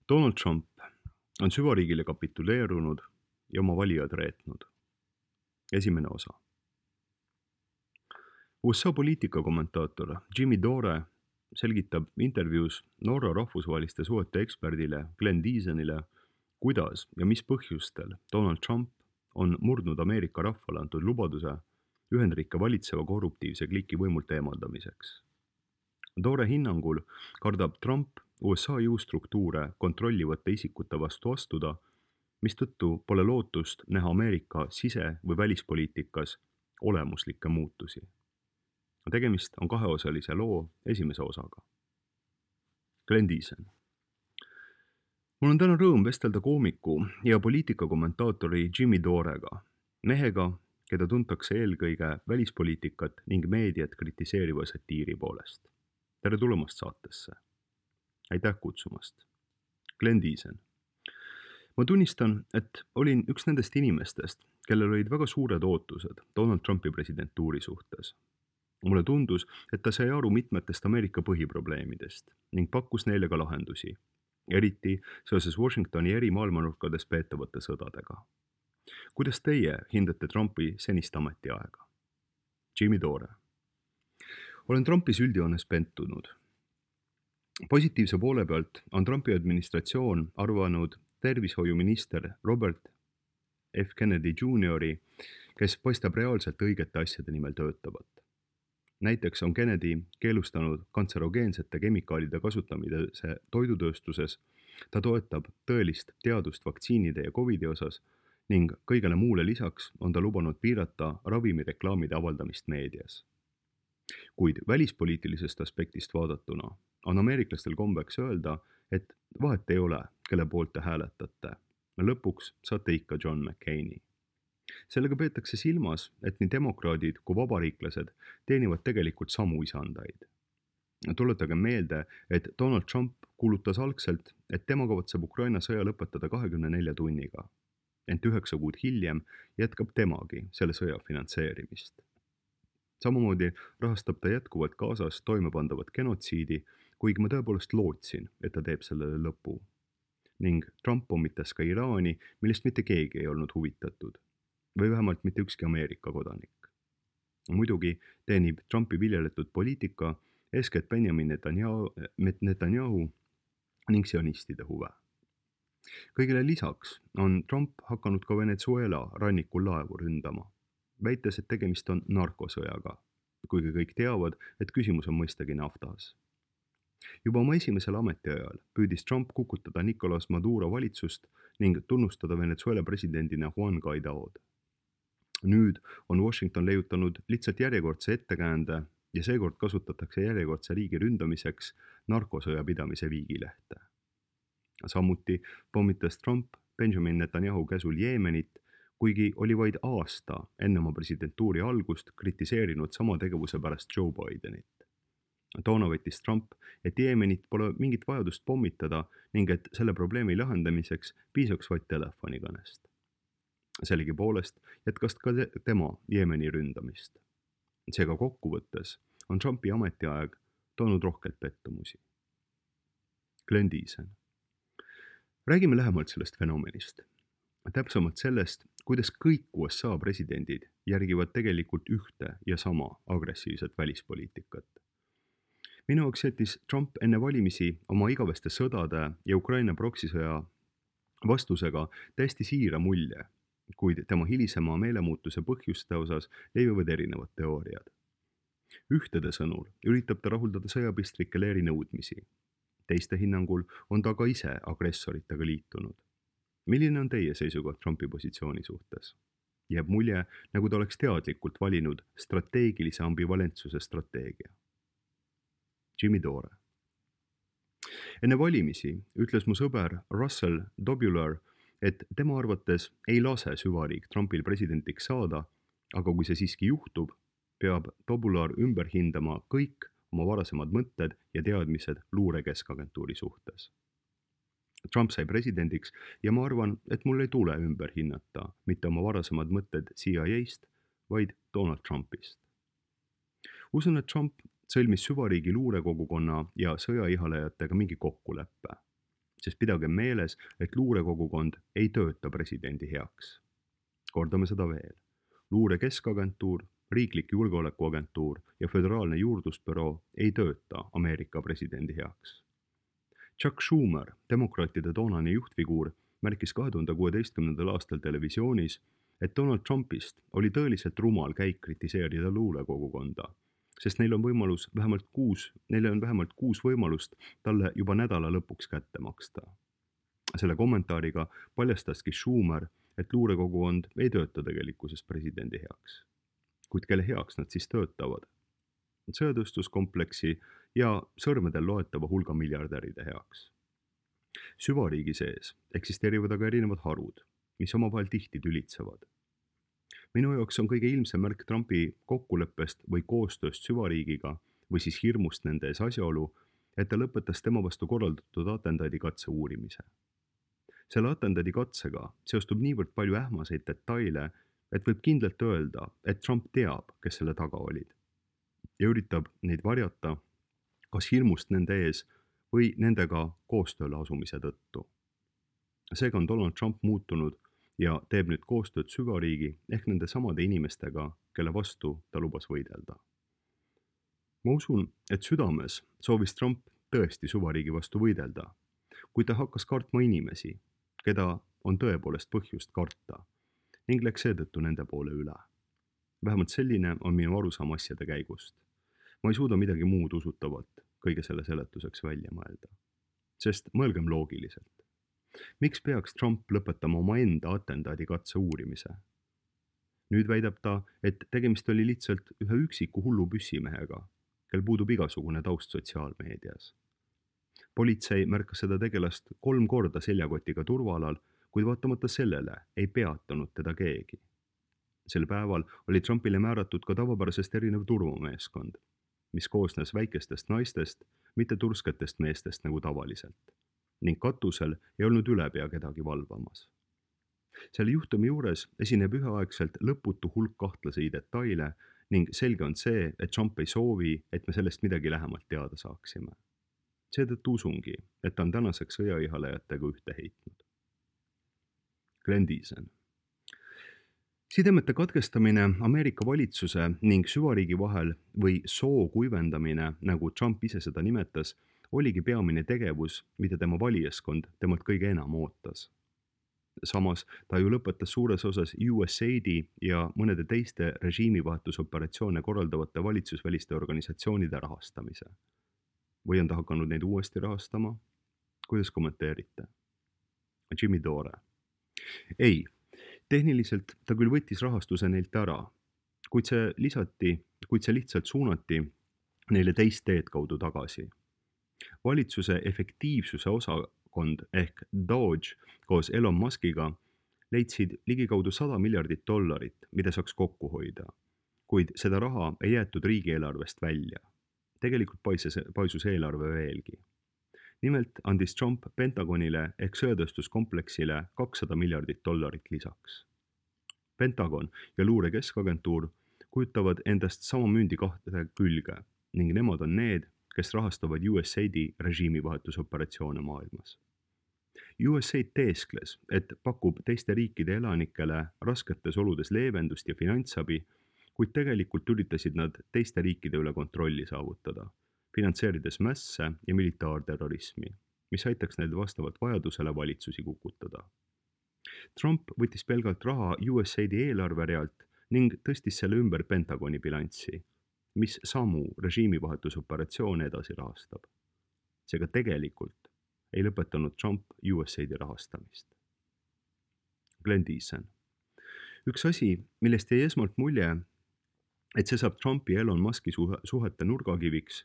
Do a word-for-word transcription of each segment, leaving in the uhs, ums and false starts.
Donald Trump on süvariigile kapituleerunud ja oma valijad reetnud. Esimene osa. U S A poliitikakommentaator Jimmy Dore selgitab intervjuus Norra rahvusvaheliste suhete eksperdile Glenn Deasonile, kuidas ja mis põhjustel Donald Trump on murdnud Ameerika rahvale antud lubaduse Ühendriike valitseva korruptiivse kliki võimult eemaldamiseks. Dore hinnangul kardab Trump U S A jõustruktuure kontrollivate isikute vastu astuda, mistõttu pole lootust näha Ameerika sise- või välispoliitikas olemuslikke muutusi. Tegemist on kaheosalise loo esimese osaga. Glenn Deason. Mul on täna rõõm vestelda koomiku ja poliitikakommentaatori Jimmy Dorega, mehega, keda tuntakse eelkõige välispoliitikat ning meediat kritiseeriva satiiri poolest. Tere tulemast saatesse. Aitäh kutsumast. Glenn Deason. Ma tunnistan, et olin üks nendest inimestest, kellel olid väga suured ootused Donald Trumpi presidentuuri suhtes. Mulle tundus, et ta sai aru mitmetest Ameerika põhiprobleemidest ning pakkus neile ka lahendusi, eriti seoses Washingtoni eri maailmanurkades peetavate sõdadega. Kuidas teie hindate Trumpi senist ametiaega? Jimmy Dore. Olen Trumpis üldjoones pentunud. Positiivse poole pealt on Trumpi administratsioon arvanud tervishoiuminister Robert F. Kennedy Juniori, kes paistab reaalselt õigete asjade nimel töötavat. Näiteks on Kennedy keelustanud kantserogeensete kemikaalide kasutamise toidutööstuses, ta toetab tõelist teadust vaktsiinide ja Covidi osas ning kõigele muule lisaks on ta lubanud piirata ravimireklaamide avaldamist meedias. Kuid välispoliitilisest aspektist vaadatuna on ameeriklastel kombeks öelda, et vahet ei ole, kelle poolt te hääletate. Lõpuks saate ikka John McCaini. Sellega peetakse silmas, et nii demokraadid kui vabariiklased teenivad tegelikult samu isandaid. Tuletage meelde, et Donald Trump kuulutas algselt, et tema kavatseb Ukraina sõja lõpetada kahekümne nelja tunniga. Ent üheksa kuud hiljem jätkab temagi selle sõja finantseerimist. Samamoodi rahastab ta jätkuvalt Gazas toimepandavat genotsiidi, kuigi ma tõepoolest lootsin, et ta teeb sellele lõpu. Ning Trump pommitas ka Iraani, millest mitte keegi ei olnud huvitatud. Või vähemalt mitte ükski Ameerika kodanik. Muidugi teenib Trumpi viljeletud poliitika eeskätt Benjamin Netanyahu, Netanyahu ning sionistide huve. Kõigile lisaks on Trump hakanud ka Venezuela rannikul laevu ründama, väites, et tegemist on narkosõjaga, kuigi kõik teavad, et küsimus on mõistagi naftas. Juba oma esimesel ametiajal püüdis Trump kukutada Nicolas Maduro valitsust ning tunnustada Venezuela presidendina Juan Guaidood. Nüüd on Washington leiutanud lihtsalt järjekordse ettekäände ja seekord kasutatakse järjekordse riigi ründamiseks narkosõja pidamise viigilehte. Samuti pommitas Trump Benjamin Netanyahu käsul Jeemenit, kuigi oli vaid aasta enne oma presidentuuri algust kritiseerinud sama tegevuse pärast Joe Bidenit. Toona võttis Trump, et Jeemenit pole mingit vajadust pommitada ning et selle probleemi lahendamiseks piisaks vaid telefonikõnest. Sellegi poolest jätkas ka tema Jeemeni ründamist. Seega kokkuvõttes on Trumpi ametiaeg toonud rohkelt pettumusi. Glenn Deason. Räägime lähemalt sellest fenomenist. Täpsemalt sellest, kuidas kõik U S A presidendid järgivad tegelikult ühte ja sama agressiivset välispoliitikat. Minu jaoks jättis Trump enne valimisi oma igaveste sõdade ja Ukraina proksisõja vastusega täiesti siira mulje, kuid tema hilisema meelemuutuse põhjuste osas levivad erinevad teooriad. Ühtede sõnul üritab ta rahuldada sõjapistrike leeri nõudmisi. Teiste hinnangul on ta ka ise agressoritega liitunud. Milline on teie seisukoht Trumpi positsiooni suhtes? Jääb mulje, nagu ta oleks teadlikult valinud strateegilise ambivalentsuse strateegia. Jimmy Dore. Enne valimisi ütles mu sõber Russell Dobular, et tema arvates ei lase süvariik Trumpil presidendiks saada, aga kui see siiski juhtub, peab Dobular ümber hindama kõik oma varasemad mõtted ja teadmised luurekeskagentuuri suhtes. Trump sai presidendiks ja ma arvan, et mul ei tule ümber hinnata mitte oma varasemad mõtted C I A-st, vaid Donald Trumpist. Usun, et Trump sõlmis süvariigi luurekogukonna ja sõjaihalejatega mingi kokkuleppe. sest pidage meeles, et luurekogukond ei tööta presidendi heaks. Kordame seda veel. Luure keskagentuur, riiklik julgeolekuagentuur ja föderaalne juurdlusbüroo ei tööta Ameerika presidendi heaks. Chuck Schumer, demokraatide toonane juhtfiguur, märkis kahe tuhande kuueteistkümnendal aastal televisioonis, et Donald Trumpist oli tõeliselt rumal käik kritiseerida luurekogukonda, sest neil on võimalus vähemalt kuus, neil on vähemalt kuus võimalust talle juba nädala lõpuks kätte maksta. Selle kommentaariga paljastaski Schumer, et luurekogukond ei tööta tegelikkuses presidendi heaks. Kuid kelle heaks nad siis töötavad? Sõjatööstuskompleksi ja sõrmedel loetava hulga miljardäride heaks. Süvariigi sees eksisteerivad aga erinevad harud, mis omavahel tihti tülitsevad. Minu jaoks on kõige ilmsem märk Trumpi kokkuleppest või koostööst süvariigiga või siis hirmust nende ees asjaolu, et ta lõpetas tema vastu korraldatud atendaadi katse uurimise. Selle atendaadi katsega seostub niivõrd palju ähmaseid detaile, et võib kindlalt öelda, et Trump teab, kes selle taga olid ja üritab neid varjata kas hirmust nende ees või nendega koostööle asumise tõttu. Seega on Donald Trump muutunud ja teeb nüüd koostööd süvariigi ehk nende samade inimestega, kelle vastu ta lubas võidelda. Ma usun, et südames soovis Trump tõesti süvariigi vastu võidelda, kuid ta hakkas kartma inimesi, keda on tõepoolest põhjust karta ning läks seetõttu nende poole üle. Vähemalt selline on minu arusaam asjade käigust. Ma ei suuda midagi muud usutavalt kõige selle seletuseks välja mõelda. Sest mõelgem loogiliselt. Miks peaks Trump lõpetama omaenda atendaadi katse uurimise? Nüüd väidab ta, et tegemist oli lihtsalt ühe üksiku hullu püssimehega, kel puudub igasugune taust sotsiaalmeedias. Politsei märkas seda tegelast kolm korda seljakotiga turvalal, kuid vaatamata sellele ei peatanud teda keegi. Sel päeval oli Trumpile määratud ka tavapärasest erinev turvameeskond, mis koosnes väikestest naistest, mitte tursketest meestest nagu tavaliselt, ning katusel ei olnud ülepea kedagi valvamas. Selle juhtumi juures esineb üheaegselt lõputu hulk kahtlasi detaile ning selge on see, et Trump ei soovi, et me sellest midagi lähemalt teada saaksime. Seetõttu usungi, et ta on tänaseks sõjaihalejatega ühte heitnud. Glenn Deason. Sidemete katkestamine Ameerika valitsuse ning süvariigi vahel või soo kuivendamine, nagu Trump ise seda nimetas, oligi peamine tegevus, mida tema valijaskond temalt kõige enam ootas. Samas ta ju lõpetas suures osas U S A I D ja mõnede teiste režiimivahetusoperatsioone korraldavate valitsusväliste organisatsioonide rahastamise. Või on ta hakanud neid uuesti rahastama? Kuidas kommenteerite? Jimmy Dore. Ei, tehniliselt ta küll võttis rahastuse neilt ära, kuid see lisati, kuid see lihtsalt suunati neile teist teed kaudu tagasi. Valitsuse efektiivsuse osakond ehk Doge koos Elon Muskiga leidsid ligikaudu sada miljardit dollarit, mida saaks kokku hoida, kuid seda raha ei jäetud riigieelarvest välja. Tegelikult paisus, paisus eelarve veelgi. Nimelt andis Trump Pentagonile ehk sõjatööstuskompleksile kakssada miljardit dollarit lisaks. Pentagon ja luure keskagentuur kujutavad endast sama mündi kahte külge ning nemad on need, kes rahastavad U S A I D režiimivahetusoperatsioone maailmas. U S A I D teeskles, et pakub teiste riikide elanikele rasketes oludes leevendust ja finantsabi, kuid tegelikult üritasid nad teiste riikide üle kontrolli saavutada, finantseerides mässe ja militaarterrorismi, mis aitaks neil vastavalt vajadusele valitsusi kukutada. Trump võttis pelgalt raha U S A I D eelarverealt ning tõstis selle ümber Pentagoni bilanssi, mis samu režiimivahetusoperatsioone edasi rahastab. Seega tegelikult ei lõpetanud Trump U S A I D rahastamist. Glenn Deason. Üks asi, millest jäi esmalt mulje, et see saab Trumpi ja Elon Muski suhete nurgakiviks,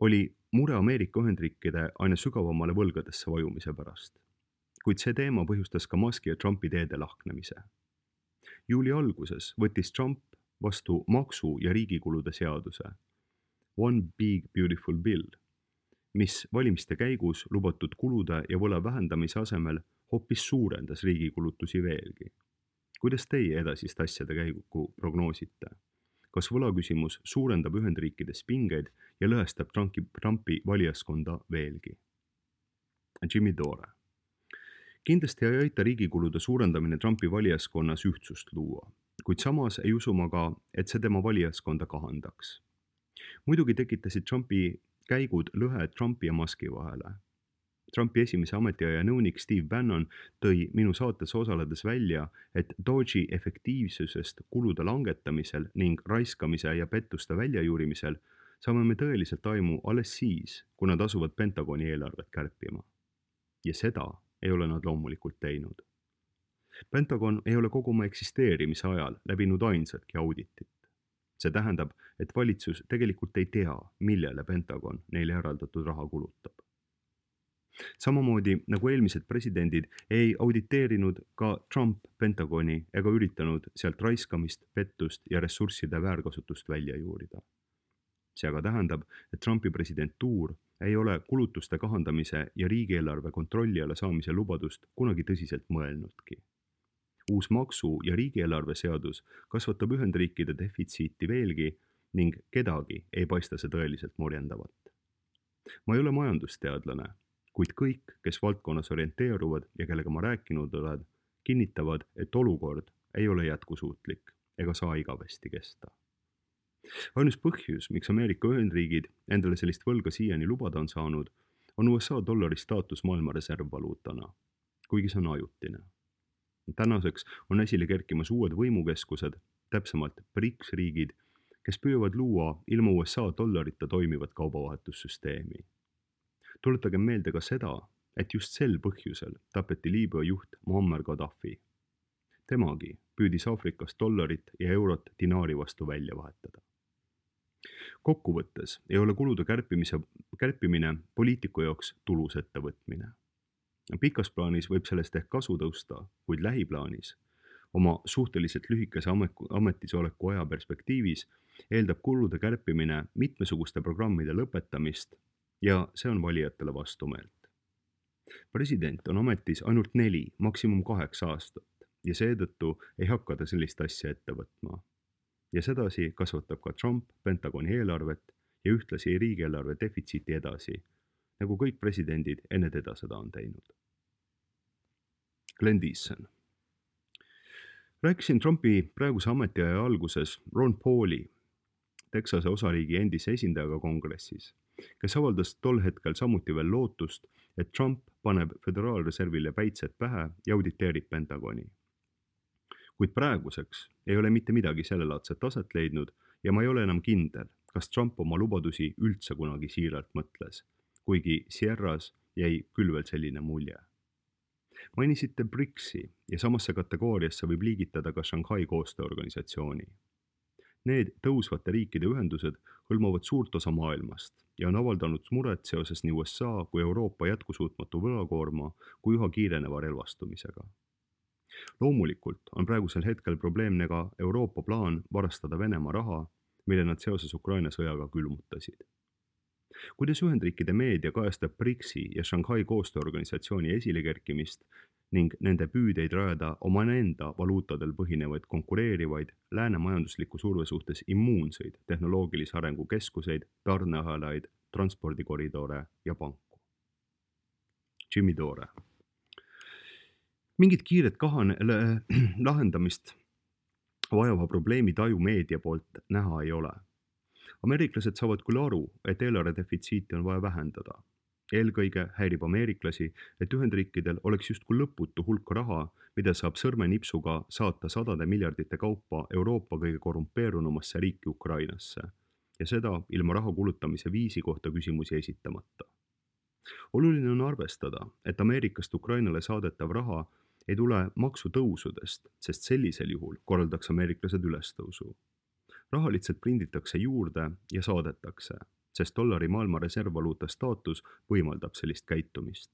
oli mure Ameerika Ühendriikide aina sügavamale võlgadesse vajumise pärast. Kuid see teema põhjustas ka Muski ja Trumpi teede lahknemise. Juuli alguses võttis Trump vastu maksu- ja riigikulude seaduse One Big Beautiful Bill, mis valimiste käigus lubatud kulude ja võla vähendamise asemel hoopis suurendas riigikulutusi veelgi. Kuidas teie edasist asjade käigu prognoosite? Kas võlaküsimus suurendab Ühendriikides pingeid ja lõhestab Trumpi, Trumpi valijaskonda veelgi? Jimmy Dore. Kindlasti ei aita riigikulude suurendamine Trumpi valijaskonnas ühtsust luua, kuid samas ei usu ma ka, et see tema valijaskonda kahandaks. Muidugi tekitasid Trumpi käigud lõhe Trumpi ja Muski vahele. Trumpi esimese ametiaja nõunik Steve Bannon tõi minu saates osaledes välja, et Doge'i efektiivsusest kulude langetamisel ning raiskamise ja pettuste väljajuurimisel saame me tõeliselt aimu alles siis, kui nad asuvad Pentagoni eelarvet kärpima. Ja seda ei ole nad loomulikult teinud. Pentagon ei ole kogu oma eksisteerimise ajal läbinud ainsatki auditit. See tähendab, et valitsus tegelikult ei tea, millele Pentagon neile eraldatud raha kulutab. Samamoodi nagu eelmised presidendid ei auditeerinud ka Trump Pentagoni ega üritanud sealt raiskamist, pettust ja ressursside väärkasutust välja juurida. See aga tähendab, et Trumpi presidentuur ei ole kulutuste kahandamise ja riigieelarve kontrolli alla saamise lubadust kunagi tõsiselt mõelnudki. Uus maksu- ja riigieelarve seadus kasvatab Ühendriikide defitsiiti veelgi ning kedagi ei paista see tõeliselt morjendavat. Ma ei ole majandusteadlane, kuid kõik, kes valdkonnas orienteeruvad ja kellega ma rääkinud olen, kinnitavad, et olukord ei ole jätkusuutlik ega saa igavesti kesta. Ainus põhjus, miks Ameerika Ühendriigid endale sellist võlga siiani lubada on saanud, on U S A dollari staatus maailma reservvaluutana, kuigi see on ajutine. Tänaseks on esile kerkimas uued võimukeskused, täpsemalt BRICS riigid, kes püüavad luua ilma U S A dollarita toimivat kaubavahetussüsteemi. Tuletage meelde ka seda, et just sel põhjusel tapeti Liibüa juht Muammar Gaddafi. Temagi püüdis Aafrikas dollarit ja eurot dinaari vastu välja vahetada. Kokkuvõttes ei ole kulude kärpimise, kärpimine poliitiku jaoks tulus ettevõtmine. Pikas plaanis võib sellest ehk kasu tõusta, kuid lähiplaanis, oma suhteliselt lühikese ametisoleku aja perspektiivis, eeldab kulude kärpimine mitmesuguste programmide lõpetamist ja see on valijatele vastumeelt. President on ametis ainult neli, maksimum kaheksa aastat ja seetõttu ei hakka ta sellist asja ette võtma. Ja sedasi kasvatab ka Trump Pentagoni eelarvet ja ühtlasi riigieelarve defitsiiti edasi, nagu kõik presidendid enne teda seda on teinud. Glenn Deason. Rääkisin Trumpi praeguse ametiaja alguses Ron Pauli, Texase osariigi endise esindajaga kongressis, kes avaldas tol hetkel samuti veel lootust, et Trump paneb Föderaalreservile päitsed pähe ja auditeerib Pentagoni. Kuid praeguseks ei ole mitte midagi sellelaadset taset leidnud ja ma ei ole enam kindel, kas Trump oma lubadusi üldse kunagi siiralt mõtles, kuigi Sierras jäi küll veel selline mulje. Mainisite BRICS-i ja samasse kategooriasse võib liigitada ka Shanghai koostööorganisatsiooni. Need tõusvate riikide ühendused hõlmavad suurt osa maailmast ja on avaldanud muret seoses nii U S A kui Euroopa jätkusuutmatu võlakoorma kui üha kiireneva relvastumisega. Loomulikult on praegusel hetkel probleemne ka Euroopa plaan varastada Venemaa raha, mille nad seoses Ukraina sõjaga külmutasid. Kuidas Ühendriikide meedia kajastab BRICS-i ja Shanghai koostööorganisatsiooni esilekerkimist ning nende püüdeid rajada omaenda valuutadel põhinevaid konkureerivaid lääne majandusliku surve suhtes immuunseid tehnoloogilise arengu keskuseid, tarneahelaid, transpordikoridore ja panku. Jimmy Dore. Mingit kiiret kahane, lahendamist vajava probleemi taju meedia poolt näha ei ole. Ameeriklased saavad küll aru, et eelarve defitsiiti on vaja vähendada. Eelkõige häirib ameeriklasi, et Ühendriikidel oleks justkui lõputu hulk raha, mida saab sõrmenipsuga saata sadade miljardite kaupa Euroopa kõige korrumpeerunumasse riiki Ukrainasse ja seda ilma raha kulutamise viisi kohta küsimusi esitamata. Oluline on arvestada, et Ameerikast Ukrainale saadetav raha ei tule maksutõusudest, sest sellisel juhul korraldaks ameeriklased ülestõusu. Raha lihtsalt prinditakse juurde ja saadetakse, sest dollari maailma reservvaluuta staatus võimaldab sellist käitumist.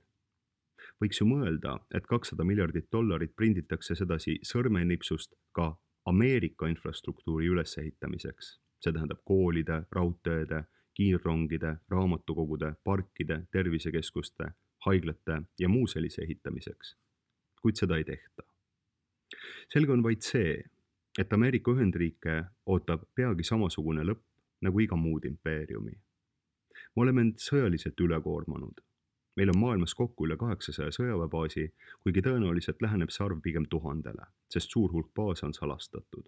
Võiks ju mõelda, et kakssada miljardit dollarit prinditakse sedasi sõrmenipsust ka Ameerika infrastruktuuri ülesehitamiseks. See tähendab koolide, raudteede, kiirrongide, raamatukogude, parkide, tervisekeskuste, haiglate ja muu sellise ehitamiseks. Kuid seda ei tehta. Selge on vaid see, et Ameerika Ühendriike ootab peagi samasugune lõpp nagu iga muud impeeriumi. Me oleme end sõjaliselt ülekoormanud. meil on maailmas kokku üle kaheksasaja sõjaväebaasi, kuigi tõenäoliselt läheneb see arv pigem tuhandele, sest suur hulk baase on salastatud.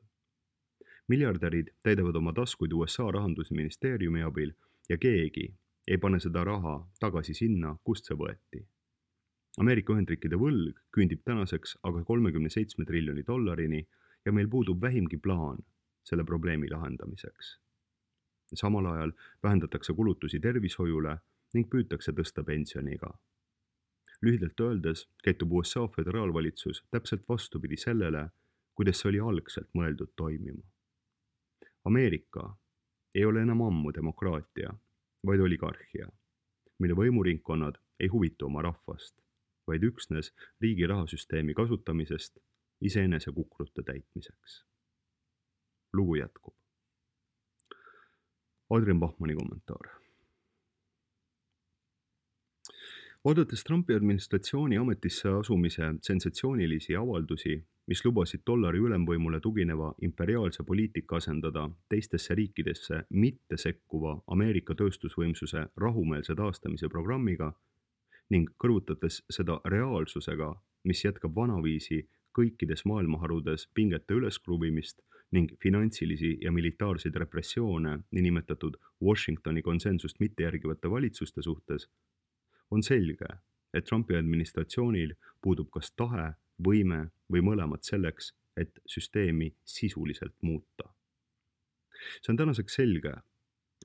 Miljardärid täidavad oma taskuid U S A rahandusministeeriumi abil ja keegi ei pane seda raha tagasi sinna, kust see võeti. Ameerika Ühendriikide võlg küündib tänaseks aga kolmekümne seitsme triljoni dollarini ja meil puudub vähimgi plaan selle probleemi lahendamiseks. Samal ajal vähendatakse kulutusi tervishoiule ning püütakse tõsta pensioniga. Lühidalt öeldes käitub U S A föderaalvalitsus täpselt vastupidi sellele, kuidas see oli algselt mõeldud toimima. Ameerika ei ole enam ammu demokraatia, vaid oligarhia, mille võimuringkonnad ei huvitu oma rahvast, vaid üksnes riigi rahasüsteemi kasutamisest iseenese kukrute täitmiseks. Lugu jätkub. Adrian Bachmanni kommentaar. Oodates Trumpi administratsiooni ametisse asumise sensatsioonilisi avaldusi, mis lubasid dollari ülemvõimule tugineva imperiaalse poliitika asendada teistesse riikidesse mitte sekkuva Ameerika tööstusvõimsuse rahumeelse taastamise programmiga ning kõrvutates seda reaalsusega, mis jätkab vanaviisi kõikides maailmaharudes pingete üleskruvimist ning finantsilisi ja militaarseid repressioone niinimetatud Washingtoni konsensust mitte järgivate valitsuste suhtes, on selge, et Trumpi administratsioonil puudub kas tahe, võime või mõlemad selleks, et süsteemi sisuliselt muuta. See on tänaseks selge,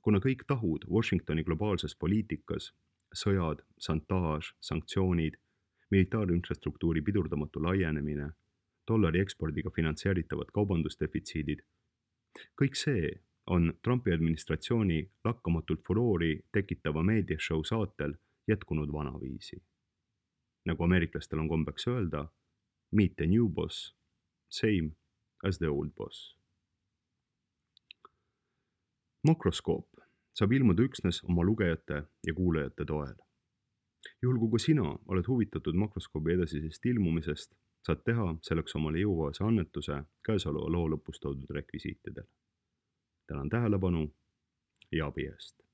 kuna kõik tahud Washingtoni globaalses poliitikas, sõjad, šantaaž, sanktsioonid, militaarinfrastruktuuri pidurdamatu laienemine, dollari ekspordiga finantseeritavad kaubandusdefitsiidid, kõik see on Trumpi administratsiooni lakkamatult furoori tekitava meediashow saatel jätkunud vanaviisi. Nagu ameeriklastel on kombeks öelda, meet the new boss, same as the old boss. Makroskoop saab ilmuda üksnes oma lugejate ja kuulajate toel. Juhul kui sina oled huvitatud makroskoobi edasisest ilmumisest, saad teha selleks omale jõukohase annetuse käesoleva loo lõpus toodud rekvisiitidel. Tänan tähelepanu ja abi eest.